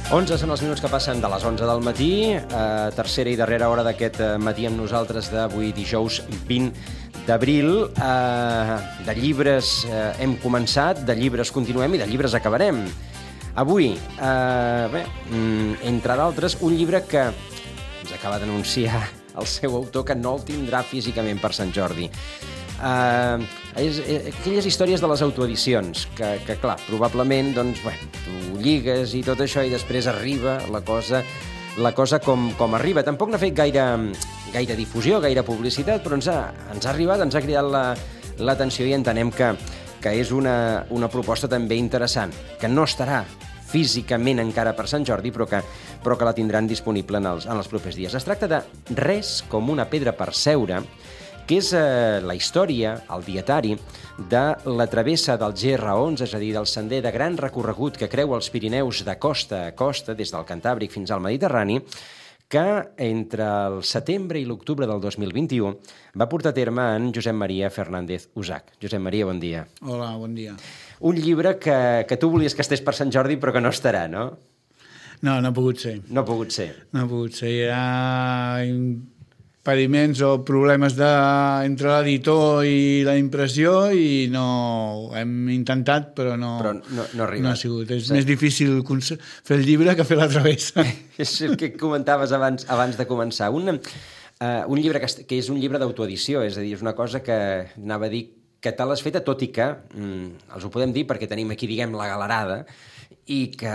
11 són els minuts que passen de les 11 del matí, tercera i darrera hora d'aquest matí amb nosaltres d'avui dijous 20 d'abril. De llibres hem començat, de llibres continuem i de llibres acabarem. Avui, entre d'altres, un llibre que ens acaba d'anunciar el seu autor que no el tindrà físicament per Sant Jordi. Aquelles històries de les autoedicions que clar, probablement doncs, tu lligues i tot això i després arriba la cosa com arriba. Tampoc n'ha fet gaire difusió, gaire publicitat, però ens ha arribat, ens ha cridat l'atenció i entenem que és una proposta també interessant, que no estarà físicament encara per Sant Jordi, però que la tindran disponible en els propers dies. Es tracta de Res com una pedra per seure, que és la història, el dietari, de la travessa del GR11, és a dir, del sender de gran recorregut que creua els Pirineus de costa a costa, des del Cantàbric fins al Mediterrani, que entre el setembre i l'octubre del 2021 va portar a terme en Josep Maria Fernández Usac. Josep Maria, bon dia. Hola, bon dia. Un llibre que tu volies que estés per Sant Jordi, però que no estarà, no? No ha pogut ser. No ha pogut ser. No ha pogut ser. Hi ha impediments o problemes entre l'editor i la impressió i no... Hem intentat, però no ha arribat. No ha sigut. És més difícil fer el llibre que fer la travessa. És el que comentaves abans de començar. Un llibre que és un llibre d'autoedició, és a dir, és una cosa que anava a dir que te l'has feta, tot i que els ho podem dir perquè tenim aquí, diguem, la galerada i que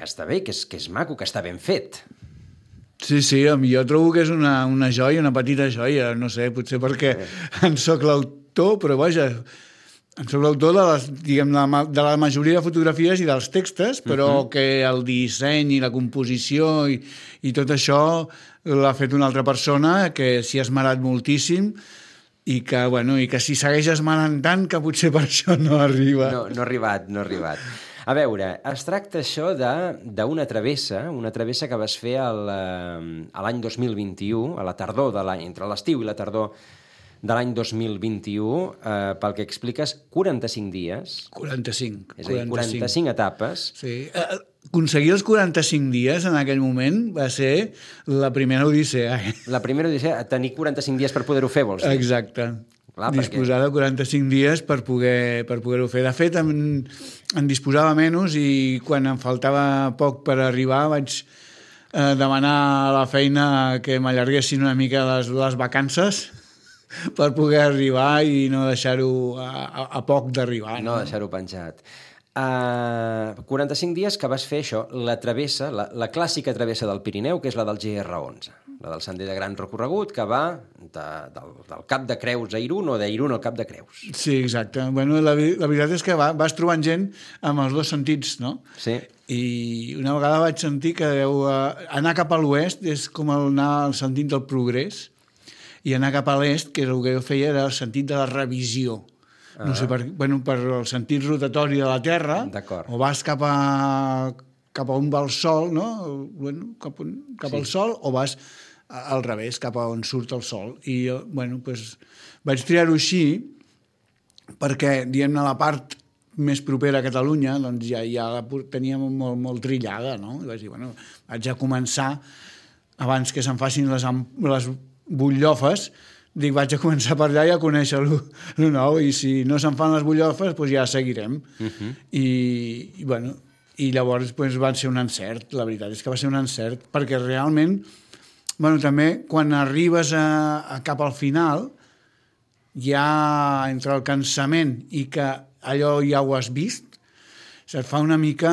està bé, que és maco, que està ben fet. Sí, jo trobo que és una joia, una petita joia, no sé, potser perquè en soc l'autor, però vaja, en soc l'autor de la majoria de fotografies i dels textos, però que el disseny i la composició i tot això l'ha fet una altra persona que s'hi ha esmerat moltíssim i que si segueix esmerant tant que potser per això no arriba. No ha arribat. A veure, es tracta això d'una travessa que vas fer l'any 2021, a la tardor de l'any, entre l'estiu i la tardor de l'any 2021, pel que expliques, 45 dies. 45. És a dir, 45 etapes. Sí. Aconseguir els 45 dies en aquell moment va ser la primera odissea. La primera odissea, tenir 45 dies per poder-ho fer, vols dir? Exacte. Clar, disposar de 45 dies per poder-ho fer. De fet, en disposava menys i quan em faltava poc per arribar vaig demanar a la feina que m'allarguessin una mica les vacances per poder arribar i no deixar-ho a poc d'arribar. No deixar-ho penjat. 45 dies que vas fer això, la travessa, la clàssica travessa del Pirineu, que és la del GR11, la del sender de gran recorregut, que va del Cap de Creus a Irún o d'Irún al Cap de Creus. Sí, exacte. Bueno, la veritat és que vas trobant gent amb els dos sentits, no? Sí. I una vegada vaig sentir que anar cap a l'oest és com anar al sentit del progrés i anar cap a l'est, que és el que jo feia, era el sentit de la revisió. No sé, per el sentit rotatori de la Terra, o vas cap a on va el Sol, no? Cap al Sol, o vas al revés, cap a on surt el Sol. I vaig triar-ho així perquè, diguem-ne, la part més propera a Catalunya doncs ja la teníem molt trillada, no? I vaig dir, vaig a començar, abans que se'n facin les butllofes, dic, vaig a començar per allà i a conèixer el nou, i si no se'n fan les butllofes, doncs ja seguirem. I llavors van ser un encert, la veritat és que va ser un encert, perquè realment, també quan arribes cap al final, ja entre el cansament i que allò ja ho has vist, se't fa una mica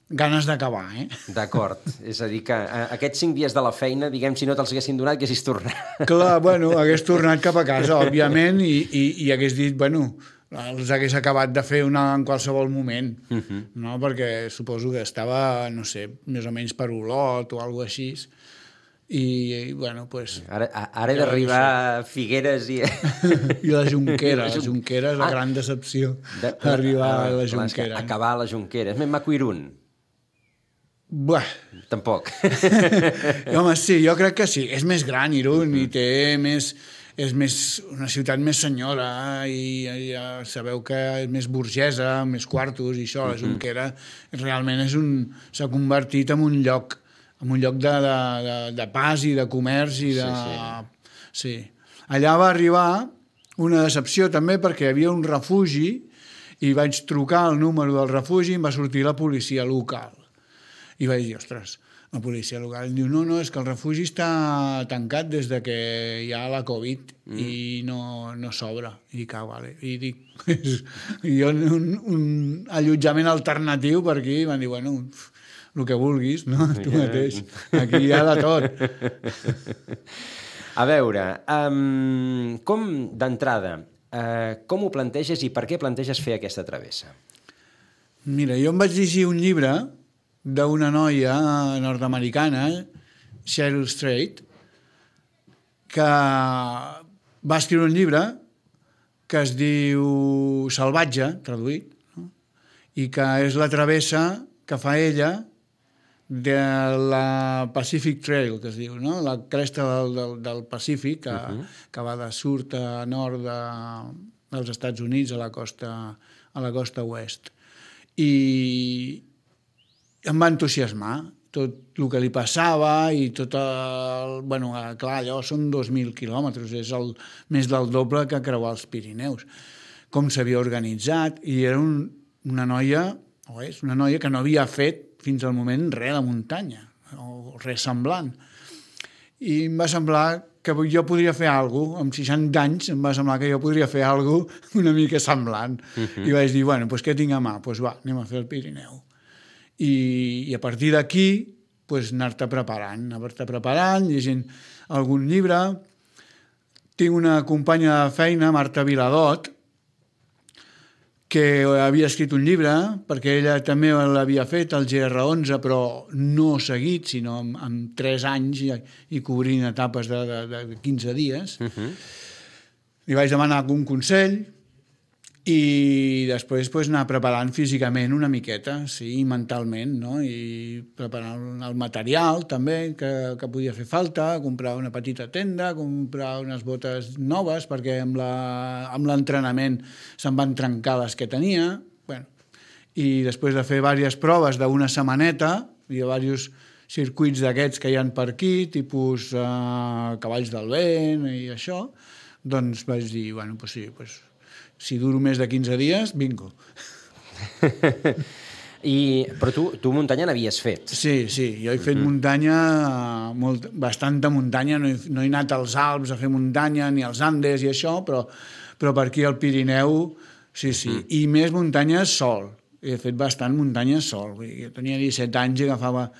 ganes d'acabar, D'acord. És a dir, que aquests 5 dies de la feina, diguem, si no te'ls haguessin donat, haguessis tornat. Clar, hagués tornat cap a casa, òbviament, i hagués dit, els hagués acabat de fer en qualsevol moment, no? Perquè suposo que estava, no sé, més o menys per Olot o alguna cosa així, i, Ara he d'arribar a Figueres i... I la Jonquera. La Jonquera és la gran decepció, arribar a la Jonquera. Acabar a la Jonquera. És més maco Irún. Tampoc. Home, sí, jo crec que sí. És més gran Irún i té més... una ciutat més senyora i ja sabeu que és més burgesa, més quartos i això, la Jonquera realment s'ha convertit en un lloc de pas i de comerç i de... Sí. Allà va arribar una decepció també perquè hi havia un refugi i vaig trucar el número del refugi i em va sortir la policia local. I vaig dir, ostres, la policia local diu, no, és que el refugi està tancat des de que hi ha la Covid i no s'obre. I dic, vale. I dic, jo un allotjament alternatiu per aquí, i van dir, bueno, el que vulguis, no? Tu mateix. Aquí hi ha de tot. A veure, com d'entrada, com ho planteges i per què planteges fer aquesta travessa? Mira, jo em vaig llegir un llibre d'una noia nord-americana, Cheryl Strait, que va escriure un llibre que es diu Salvatge, traduït, no? I que és la travessa que fa ella de la Pacific Trail, que es diu, no? La cresta del Pacífic, que va de sud a nord dels Estats Units a la costa oest. I em va entusiasmar tot el que li passava i tot el... Bueno, clar, allò són 2.000 quilòmetres, és més del doble que creuar els Pirineus. Com s'havia organitzat, i era una noia, o és una noia que no havia fet fins al moment res de muntanya, o res semblant. I em va semblar que jo podria fer alguna cosa, amb 60 anys em va semblar que jo podria fer alguna cosa una mica semblant. I vaig dir, bueno, doncs què tinc a mà? Doncs va, anem a fer el Pirineu. I a partir d'aquí anar-te preparant, llegint algun llibre. Tinc una companya de feina, Marta Viladot, que havia escrit un llibre, perquè ella també l'havia fet, el GR11, però no seguit, sinó en 3 anys i cobrint etapes de 15 dies. Li vaig demanar algun consell i després anar preparant físicament una miqueta, sí, mentalment, no? I preparar el material també que podia fer falta, comprar una petita tenda, comprar unes botes noves perquè amb l'entrenament se'n van trencar les que tenia. Bueno, i després de fer diverses proves d'una setmaneta, hi ha diversos circuits d'aquests que hi ha per aquí, tipus cavalls del vent i això, doncs vaig dir, bueno, doncs sí, doncs si duro més de 15 dies, bingo. Però tu muntanya n'havies fet? Sí, jo he fet muntanya, bastanta muntanya, no he anat als Alps a fer muntanya, ni als Andes i això, però per aquí al Pirineu, sí. I més muntanya sol. He fet bastant muntanya sol. Jo tenia 17 anys i agafava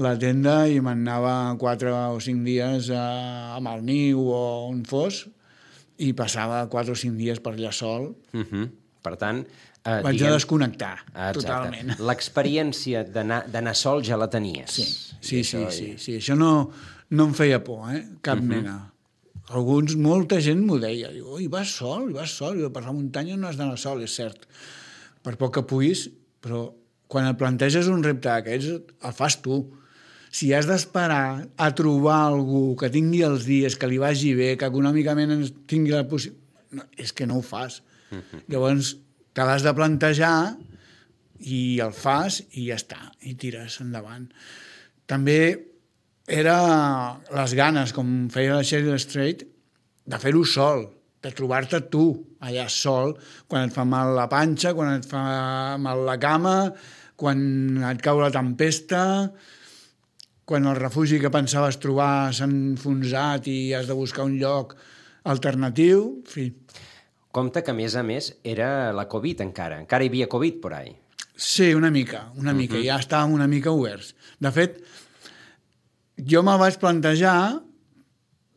la tenda i m'anava 4 o 5 dies a Malniu o on fos, i passava 4 o 5 dies per allà sol. Per tant... Vaig a desconnectar, totalment. L'experiència d'anar sol ja la tenies. Sí. Això no em feia por, cap mena. Molta gent m'ho deia. Diu, vas sol, per la muntanya no has d'anar sol, és cert. Per poc que puguis, però quan et planteges un repte d'aquests, el fas tu. Si has d'esperar a trobar algú que tingui els dies, que li vagi bé, que econòmicament tingui la possibilitat... No, és que no ho fas. Llavors, te l'has de plantejar i el fas i ja està, i tires endavant. També era les ganes, com feia la Cheryl Strait, de fer-ho sol, de trobar-te tu allà sol, quan et fa mal la panxa, quan et fa mal la cama, quan et cau la tempesta, quan el refugi que pensaves trobar s'ha enfonsat i has de buscar un lloc alternatiu, en fi. Compte que, a més, era la Covid encara. Encara hi havia Covid por ahí. Sí, una mica. Ja estàvem una mica oberts. De fet, jo me'l vaig plantejar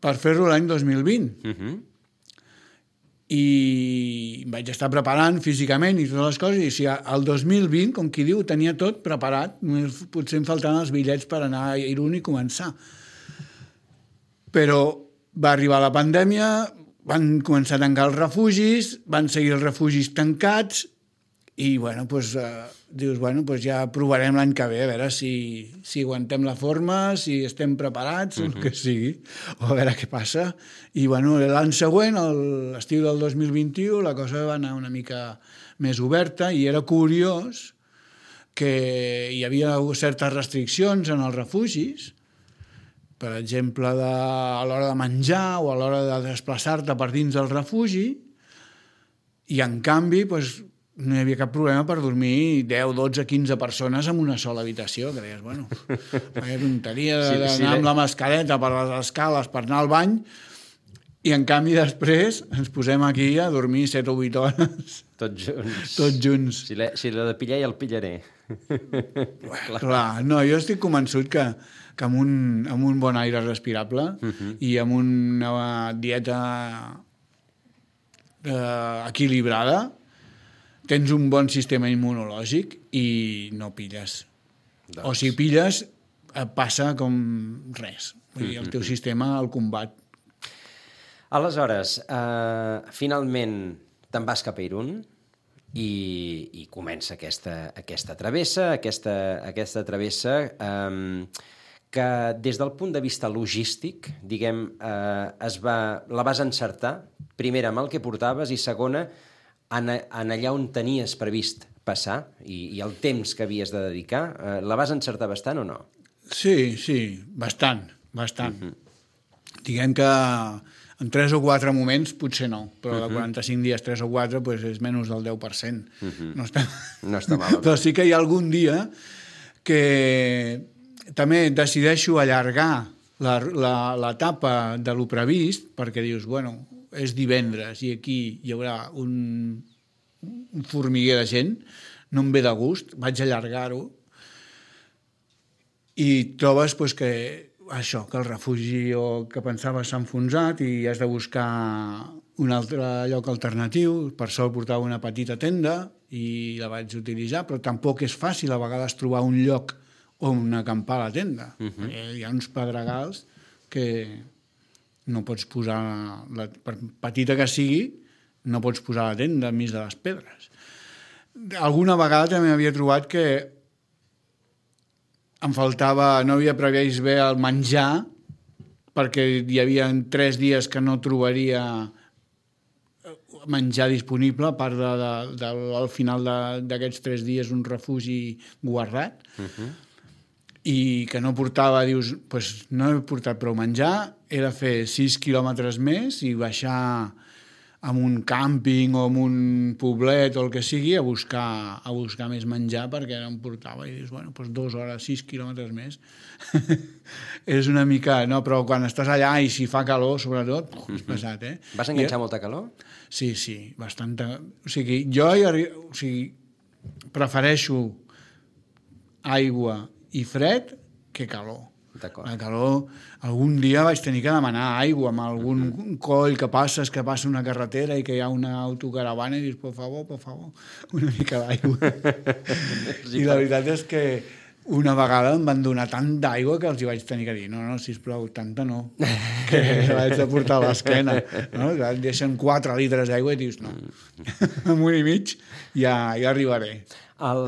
per fer-lo l'any 2020. I vaig estar preparant físicament i totes les coses, i si el 2020, com qui diu, tenia tot preparat, potser em faltaven els bitllets per anar a Irún i començar. Però va arribar la pandèmia, van començar a tancar els refugis, van seguir els refugis tancats I, bueno, doncs, dius, bueno, doncs ja provarem l'any que ve, a veure si aguantem la forma, si estem preparats, o el que sigui, o a veure què passa. I, bueno, l'any següent, l'estiu del 2021, la cosa va anar una mica més oberta i era curiós que hi havia certes restriccions en els refugis, per exemple, a l'hora de menjar o a l'hora de desplaçar-te per dins del refugi, i, en canvi, doncs, no hi havia cap problema per dormir 10, 12, 15 persones en una sola habitació, que deies, bueno, vaya tonteria d'anar amb la mascareta per les escales per anar al bany, i en canvi després ens posem aquí a dormir 7 o 8 hores. Tots junts. Tots junts. Si l'he de pillar, ja el pillaré. Clar, no, jo estic convençut que amb un bon aire respirable i amb una dieta equilibrada tens un bon sistema immunològic i no pilles. Doncs. O si pilles, passa com res. Vull dir, el teu sistema el combat. Aleshores, finalment te'n vas cap a Irún i comença aquesta travessa, aquesta travessa que des del punt de vista logístic, diguem, la vas encertar, primera amb el que portaves i segona en allà on tenies previst passar i el temps que havies de dedicar, la vas encertar bastant o no? Sí, bastant. Diguem que en 3 o 4 moments potser no, però de 45 dies, 3 o 4, doncs és menys del 10%. No està mal. Però sí que hi ha algun dia que també decideixo allargar l'etapa de lo previst, perquè dius, bueno, és divendres i aquí hi haurà un formiguer de gent, no em ve de gust, vaig allargar-ho i trobes doncs, que el refugi que pensaves s'ha enfonsat i has de buscar un altre lloc alternatiu. Per sort portava una petita tenda i la vaig utilitzar, però tampoc és fàcil a vegades trobar un lloc on acampar a la tenda. Hi ha uns pedregals que no pots posar, per petita que sigui, no pots posar la tenda enmig de les pedres. Alguna vegada també havia trobat que em faltava, no havia previst bé el menjar, perquè hi havia 3 dies que no trobaria menjar disponible, a part al final d'aquests 3 dies un refugi guardat, i que no portava, dius, doncs no he portat prou menjar, he de fer 6 quilòmetres més i baixar en un càmping o en un poblet o el que sigui a buscar més menjar perquè no em portava. I dius, bueno, doncs 2 hores, 6 quilòmetres més. És una mica... No, però quan estàs allà i si fa calor, sobretot, és pesat, eh? Vas enganxar molta calor? Sí, bastanta. O sigui, jo prefereixo aigua i fred que calor. La calor, algun dia vaig tenir que demanar aigua amb algun coll que passa una carretera i que hi ha una autocaravana i dius, por favor, una mica d'aigua. I la veritat és que una vegada em van donar tant d'aigua que els hi vaig tenir que dir, no, sisplau, tanta no, que l'haig de portar a l'esquena. No? Et deixen 4 litres d'aigua i dius, no, amb 1 i mig ja arribaré. El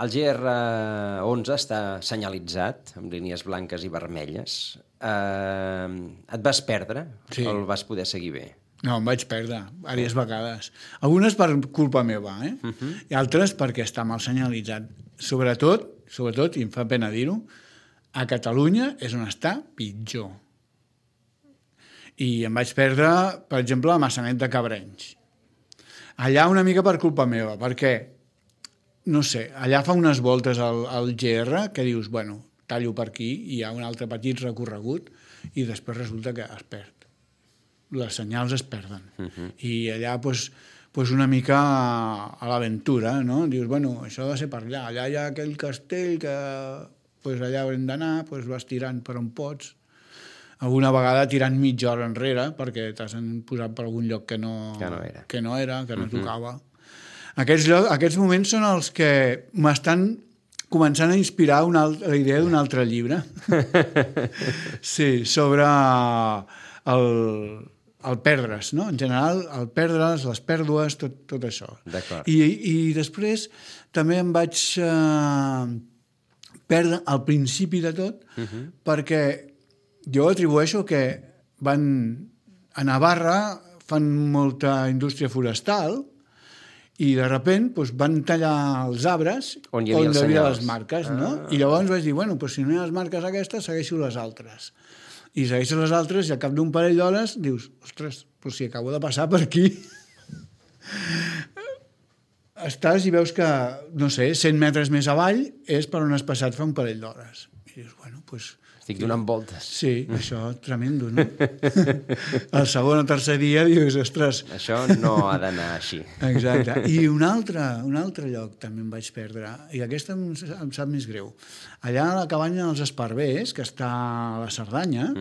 GR11 està senyalitzat amb línies blanques i vermelles. Et vas perdre o el vas poder seguir bé? No, em vaig perdre diverses vegades. Algunes per culpa meva, i altres perquè està mal senyalitzat. Sobretot, i em fa pena dir-ho, a Catalunya és on està pitjor. I em vaig perdre, per exemple, a Maçanet de Cabrenys. Allà una mica per culpa meva, perquè no sé, allà fa unes voltes al GR que dius, bueno, tallo per aquí i hi ha un altre petit recorregut i després resulta que es perd. Les senyals es perden. I allà, doncs, una mica a l'aventura, no? Dius, bueno, això ha de ser per allà. Allà hi ha aquell castell que allà haurem d'anar, vas tirant per on pots. Alguna vegada tirant mitja hora enrere perquè t'has posat per algun lloc que no era, que no tocava. Aquests moments són els que m'estan començant a inspirar la idea d'un altre llibre. Sí, sobre el perdre's, no? En general, el perdre's, les pèrdues, tot això. D'acord. I després també em vaig perdre al principi de tot, perquè jo atribueixo que a Navarra fan molta indústria forestal i de sobte doncs, van tallar els arbres on hi havia les marques, no? I llavors vaig dir, bueno, si no hi ha les marques aquestes, segueixo les altres. I segueixes les altres i al cap d'un parell d'hores dius, ostres, però si acabo de passar per aquí. Estàs i veus que, no sé, 100 metres més avall és per on has passat fa un parell d'hores. I dius, bueno, doncs... Estic donant voltes. Sí, això, tremendo, no? El segon o tercer dia dius, ostres... Això no ha d'anar així. Exacte. I un altre lloc també em vaig perdre, i aquesta em sap més greu. Allà a la cabanya dels Esparvers, que està a la Cerdanya,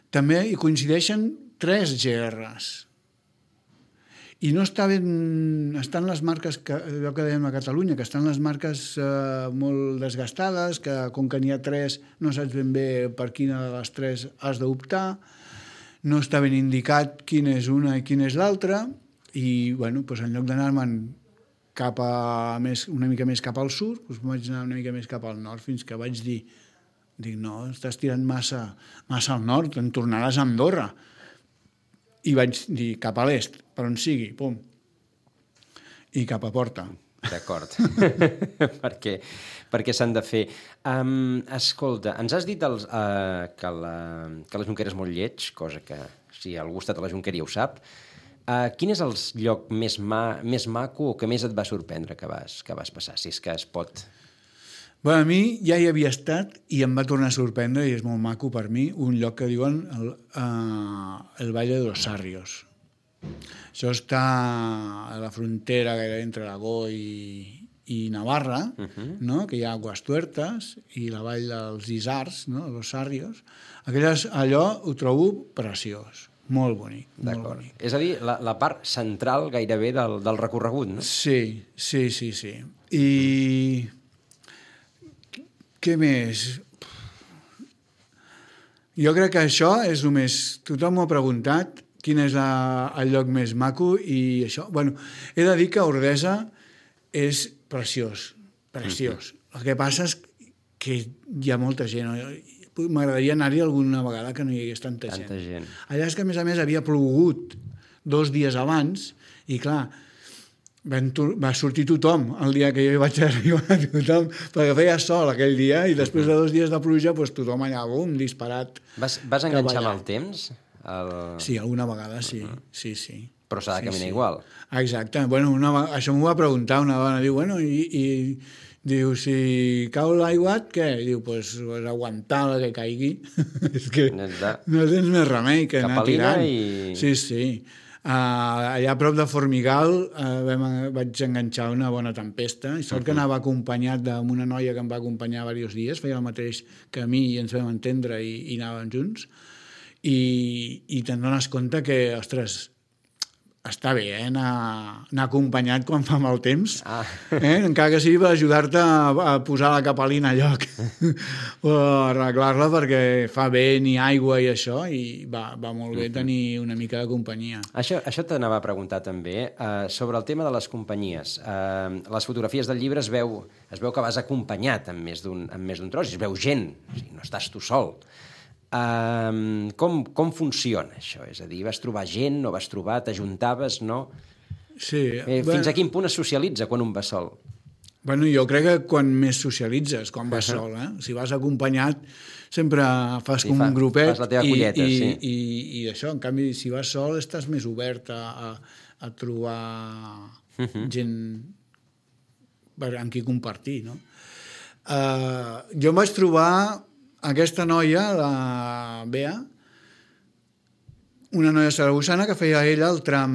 també hi coincideixen 3 GRs. I no està ben... Estan les marques, allò que dèiem a Catalunya, que estan les marques molt desgastades, que com que n'hi ha 3 no saps ben bé per quina de les 3 has d'optar, no està ben indicat quina és una i quina és l'altra, i bueno, doncs en lloc d'anar-me'n una mica més cap al sud, doncs vaig anar una mica més cap al nord, fins que vaig dir, no, estàs tirant massa al nord, en tornaràs a Andorra. I vaig dir cap a l'est, per on sigui, pum, i cap a Porta. D'acord, perquè s'han de fer. Escolta, ens has dit que la Jonquera és molt lleig, cosa que si algú ha estat a la Jonquera ja ho sap. Quin és el lloc més maco o que més et va sorprendre que vas passar, si és que es pot... Bueno, a mi ja hi havia estat i em va tornar a sorprendre, i és molt maco per mi, un lloc que diuen el Valle de los Sarrios. Això està a la frontera gairebé entre Aragó i Navarra, no? Que hi ha Aguas Tuertas i la vall dels Isars, no? Los Sarrios. Allò ho trobo preciós, molt bonic. D'acord. És a dir, la part central gairebé del recorregut, no? Sí. I... Què més? Jo crec que això és només... Tothom m'ho ha preguntat quin és el lloc més maco i això... Bueno, he de dir que Ordesa és preciós. El que passa és que hi ha molta gent. M'agradaria anar-hi alguna vegada que no hi hagués tanta gent. Allà és que, a més, havia plogut 2 dies abans i, clar, va sortir tothom el dia que jo hi vaig arribar, tothom, perquè feia sol aquell dia i després de 2 dies de pluja doncs tothom allà, bum, disparat. Vas enganxar amb el temps? Sí, alguna vegada sí. Però s'ha de caminar igual. Exacte. Bueno, això m'ho va preguntar una dona, diu, bueno, i diu, si cau l'aiguat, què? Diu, doncs aguantar la que caigui. És que no tens més remei que anar tirant. Sí. Allà a prop de Formigal vaig enganxar una bona tempesta i sort que anava acompanyat d'una noia que em va acompanyar diversos dies, feia el mateix que a mi i ens vam entendre i anàvem junts i te'n dones compte que, ostres, està bé, anar acompanyat quan fa mal temps, encara que sigui per ajudar-te a posar la capelina a lloc o arreglar-la perquè fa vent i aigua i això, i va molt bé tenir una mica de companyia. Això t'anava a preguntar també sobre el tema de les companyies. Les fotografies del llibre es veu que vas acompanyat amb més d'un tros, es veu gent, o sigui, no estàs tu sol. Com funciona això? És a dir, vas trobar gent, no vas trobar, t'ajuntaves, no? Sí. Fins a quin punt es socialitza quan un va sol? Bueno, jo crec que quan més socialitzes, quan vas sol, Si vas acompanyat, sempre fas com un grupet. Fas la teva colleta, sí. I això, en canvi, si vas sol, estàs més obert a trobar gent amb qui compartir, no? Jo em vaig trobar aquesta noia, la Bea, una noia saragossana que feia ella el tram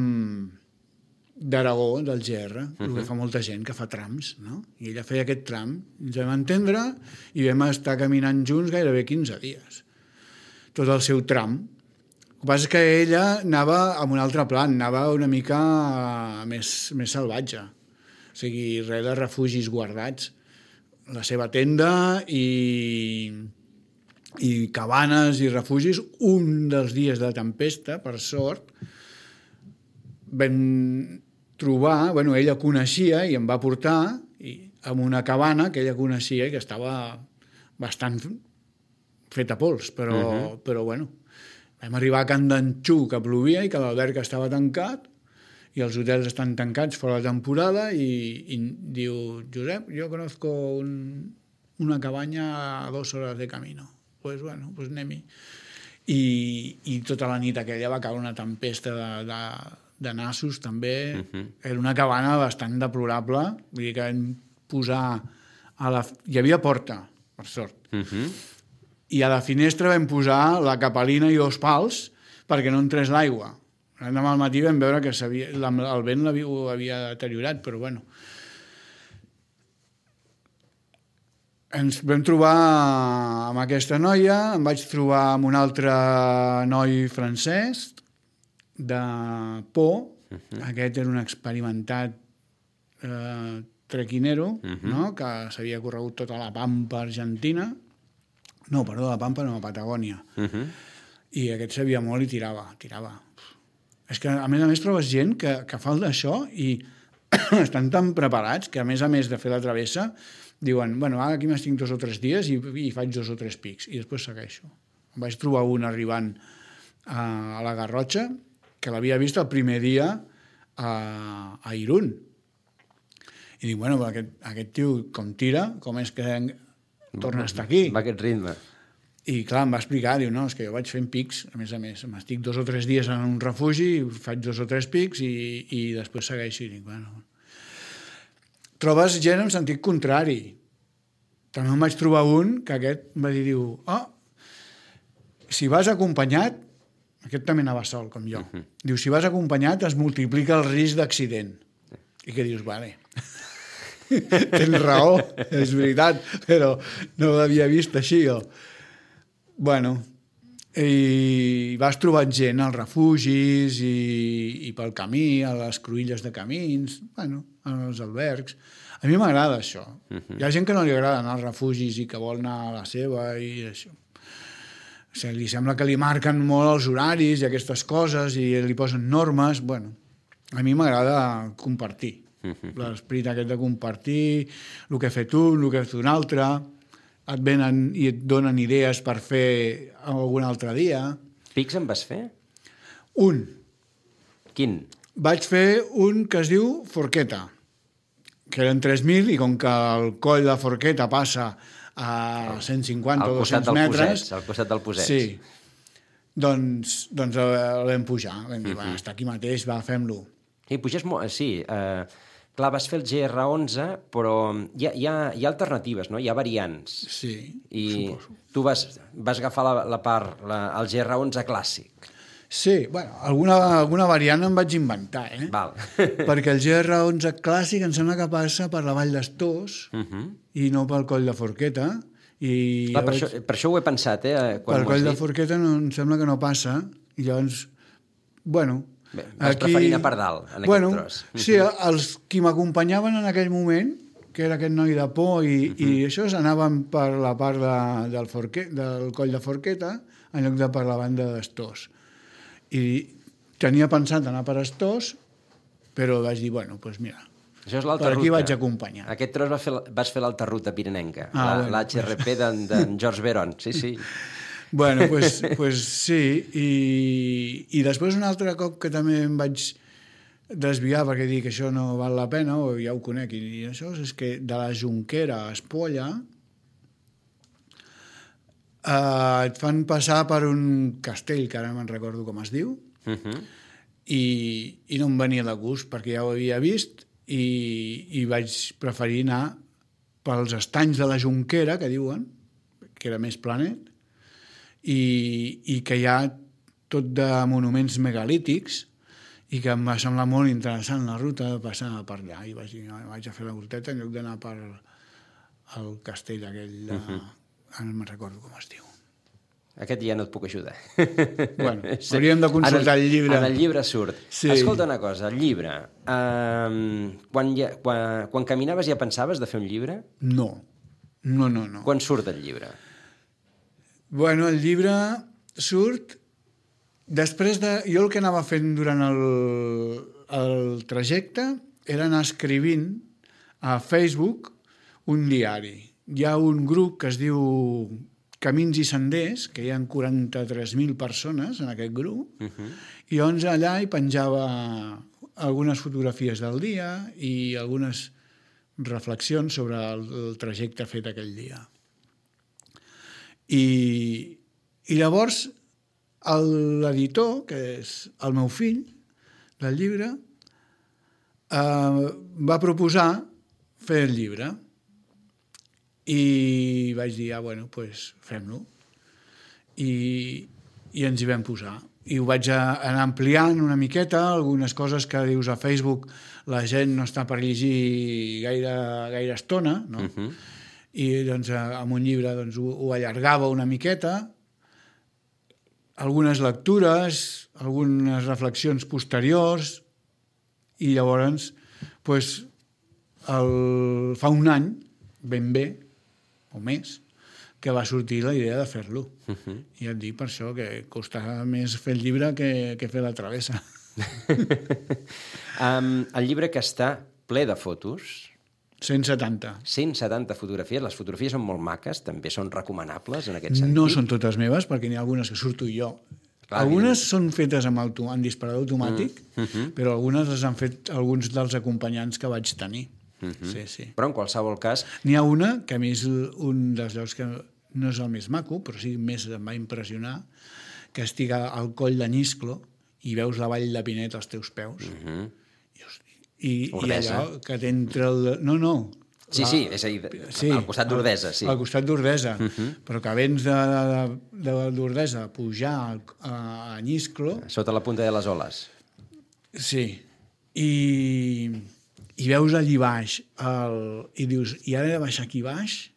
d'Aragó, del GR, que fa molta gent que fa trams, no? I ella feia aquest tram, ens vam entendre i vam estar caminant junts gairebé 15 dies, tot el seu tram. El que passa és que ella anava amb un altre plan, anava una mica més salvatge, o sigui, res de refugis guardats, la seva tenda i i cabanes i refugis. Un dels dies de tempesta, per sort, vam trobar, bueno, ella coneixia i em va portar en una cabana que ella coneixia i que estava bastant feta pols, però bueno, vam arribar a Can d'Anxú, que plovia i que l'alberg estava tancat i els hotels estan tancats fora de temporada i diu, Josep, jo conozco una cabaña a 2 horas de camino. Pues bueno, pues anem-hi. I tota la nit aquella va caure una tempesta de nassos, també. Era una cabana bastant deplorable, vull dir que vam posar... Hi havia porta, per sort. I a la finestra vam posar la capelina i 2 pals perquè no entrés l'aigua. L'endemà al matí vam veure que el vent ho havia deteriorat, però bueno. Ens vam trobar amb aquesta noia, em vaig trobar amb un altre noi francès de Pau. Aquest era un experimentat trequinero, no? Que s'havia corregut tota la Pampa argentina. No, perdó, la Pampa no, la Patagònia. I aquest sabia molt i tirava. És que, a més, trobes gent que fa d'això i estan tan preparats que, a més de fer la travessa, diuen, bueno, ara aquí m'estic 2 o 3 dies i faig 2 o 3 pics, i després segueixo. Em vaig trobar un arribant a la Garrotxa, que l'havia vist el primer dia a Irún. I dic, bueno, aquest tio com tira, com és que torna a estar aquí? Va aquest ritme. I clar, em va explicar, diu, no, és que jo vaig fent pics, a més, m'estic 2 o 3 dies en un refugi, faig 2 o 3 pics i després segueixo. I dic, bueno... Trobes gent en sentit contrari. També em vaig trobar un que aquest em va dir, diu, si vas acompanyat, aquest també anava sol, com jo, diu, si vas acompanyat es multiplica el risc d'accident. I que dius, vale, tens raó, és veritat, però no l'havia vist així, jo. Bueno, i vas trobant gent als refugis i pel camí, a les cruïlles de camins, bueno, als albergs. A mi m'agrada això. Hi ha gent que no li agrada anar als refugis i que vol anar a la seva i això. O sigui, li sembla que li marquen molt els horaris i aquestes coses i li posen normes. Bueno, a mi m'agrada compartir. L'esperit aquest de compartir, el que ha fet un, el que ha fet un altre, et venen i et donen idees per fer algun altre dia. Pics en vas fer? Un. Quin? Vaig fer un que es diu Forqueta, que eren 3.000 i com que el coll de Forqueta passa a 150 o 200 metres... Al costat del Posets. Sí. Doncs el vam pujar. Vam dir, va, està aquí mateix, va, fem-lo. I puges molt... Sí, clar, vas fer el GR11, però hi ha alternatives, no? Hi ha variants. Sí, suposo. Tu vas agafar la part, el GR11 clàssic. Sí, bueno, alguna variant em vaig inventar, Val. Perquè el GR11 clàssic em sembla que passa per la Vall d'Estós i no pel coll de Forqueta. Clar, per això ho he pensat, Per coll de Forqueta em sembla que no passa, i llavors, bueno... Bé, vas preferir anar per dalt, en aquest tros. Sí, els qui m'acompanyaven en aquell moment, que era aquest noi de por i això, anaven per la part del coll de Forqueta en lloc de per la banda d'Estós. I tenia pensat anar per Estós, però vaig dir, bueno, doncs mira, això és l'alta per aquí ruta. vaig acompanyar. Aquest tros vas fer l'alta ruta pirinenca, l'HRP d'en George Veron, sí. Bueno, pues sí, i després un altre cop que també em vaig desviar perquè dic que això no val la pena, o ja ho conec, i això és que de la Jonquera a Espolla et fan passar per un castell, que ara me'n recordo com es diu, i no em venia de gust perquè ja ho havia vist i vaig preferir anar pels estanys de la Jonquera, que diuen, que era més planet, i que hi ha tot de monuments megalítics i que em va semblar molt interessant la ruta de passar per allà i vaig dir, vaig a fer la ruteta en lloc d'anar per el castell aquell de... Ara no me'n recordo com es diu. Aquest ja no et puc ajudar. Bueno, hauríem de consultar el llibre. En el llibre surt. Sí. Escolta una cosa, el llibre. Quan caminaves ja pensaves de fer un llibre? No. Quan surt el llibre? Bueno, el llibre surt després de... Jo el que anava fent durant el trajecte era anar escrivint a Facebook un diari. Hi ha un grup que es diu Camins i Senders, que hi ha 43.000 persones en aquest grup, i llavors allà hi penjava algunes fotografies del dia i algunes reflexions sobre el trajecte fet aquell dia. I llavors l'editor, que és el meu fill del llibre, va proposar fer el llibre i vaig dir, bueno, doncs fem-lo. I ens hi vam posar. I ho vaig anar ampliant una miqueta, algunes coses que dius a Facebook la gent no està per llegir gaire estona, no? I doncs amb un llibre doncs, ho allargava una miqueta, algunes lectures, algunes reflexions posteriors, i llavors doncs, fa un any, ben bé, o més, que va sortir la idea de fer-lo. I et dic per això que costava més fer el llibre que fer la travessa. El llibre que està ple de fotos... 170. 170 fotografies. Les fotografies són molt maques, també són recomanables en aquest sentit. No són totes meves, perquè n'hi ha algunes que surto jo. Clar, algunes són fetes amb disparador automàtic, però algunes les han fet alguns dels acompanyants que vaig tenir. Sí. Però en qualsevol cas... N'hi ha una, que a mi és un dels llocs que no és el més maco, però sí més em va impressionar, que estic al coll de Nisclo i veus la vall de Pinet als teus peus. I allò que t'entra el... No. Sí, és a dir, al costat d'Ordesa, sí. Al costat d'Ordesa, però que vens d'Ordesa a pujar a Nisclo... Sota la punta de les oles. Sí, i veus allí baix i dius, i ara he de baixar aquí baix?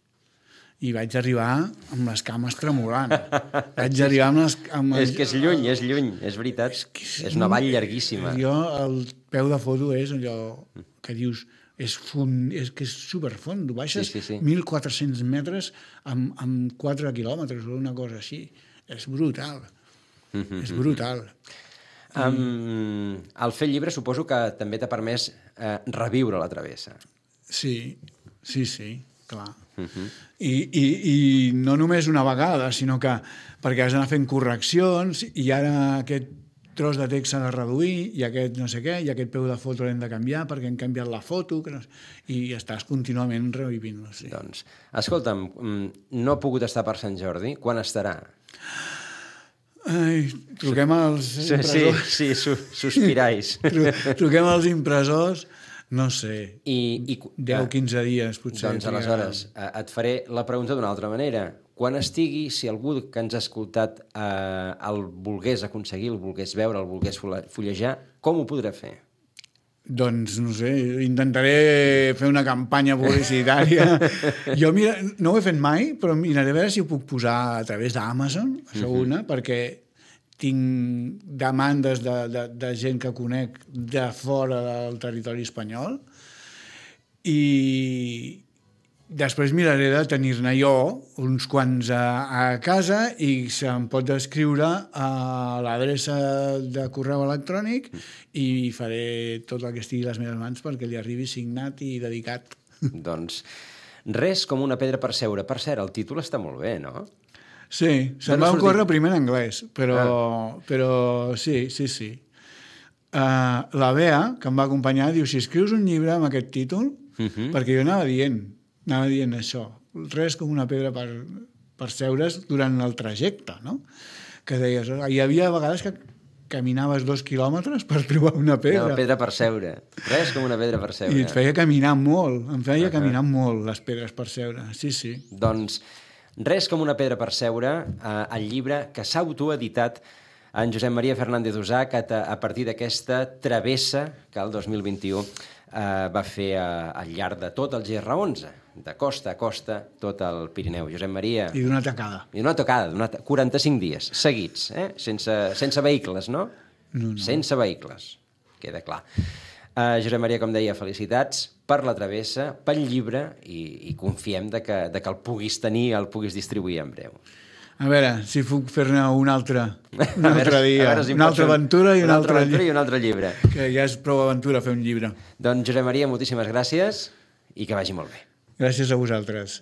I vaig arribar amb les cames tremolant. Vaig arribar amb És que és lluny, és veritat. És una vall llarguíssima. El peu de foto és allò que dius, és que és superfond. Baixes 1.400 metres amb 4 quilòmetres o una cosa així. És brutal. És brutal. El fer llibre suposo que també t'ha permès reviure la travessa. Sí, clar. I no només una vegada, sinó que perquè has d'anar fent correccions i ara aquest tros de text s'ha de reduir i aquest no sé què, i aquest peu de foto l'hem de canviar perquè hem canviat la foto i estàs contínuament revivint-lo. Sí. Doncs, escolta'm, no ha pogut estar per Sant Jordi. Quan estarà? Truquem als impressors. Sí, sospirais. Truquem als impressors. No sé, 10 o 15 dies potser. Doncs aleshores et faré la pregunta d'una altra manera. Quan estigui, si algú que ens ha escoltat el volgués aconseguir, el volgués veure, el volgués fullejar, com ho podrà fer? Doncs, no sé, intentaré fer una campanya publicitària. Jo no ho he fet mai, però miraré a veure si ho puc posar a través d'Amazon, això una, perquè tinc demandes de gent que conec de fora del territori espanyol i després miraré de tenir-ne jo uns quants a casa i se'm pot escriure a l'adreça de correu electrònic i faré tot el que estigui a les meves mans perquè li arribi signat i dedicat. Doncs res com una pedra per seure. Per cert, el títol està molt bé, no? Sí, se'm va ocórrer primer en anglès, però sí. La Bea, que em va acompanyar, diu, si escrius un llibre amb aquest títol, perquè jo anava dient això, res com una pedra per seure's durant el trajecte, no? Que deies, hi havia vegades que caminaves 2 quilòmetres per trobar una pedra. Una pedra per seure, res com una pedra per seure. I et feia caminar molt, caminar molt les pedres per seure, sí. Doncs res com una pedra per seure, el llibre que s'ha autoeditat en Josep Maria Fernández Usà, que a partir d'aquesta travessa que el 2021 va fer al llarg de tot el GR11, de costa a costa, tot el Pirineu. Josep Maria... I d'una tacada. 45 dies seguits, sense vehicles, no? No. Sense vehicles, queda clar. Josep Maria, com deia, felicitats per la travessa, pel llibre, i confiem que el puguis tenir, el puguis distribuir en breu. A veure, si puc fer-ne un altre dia. Si una altra aventura i un altre llibre. Que ja és prou aventura fer un llibre. Doncs, Josep Maria, moltíssimes gràcies i que vagi molt bé. Gràcies a vosaltres.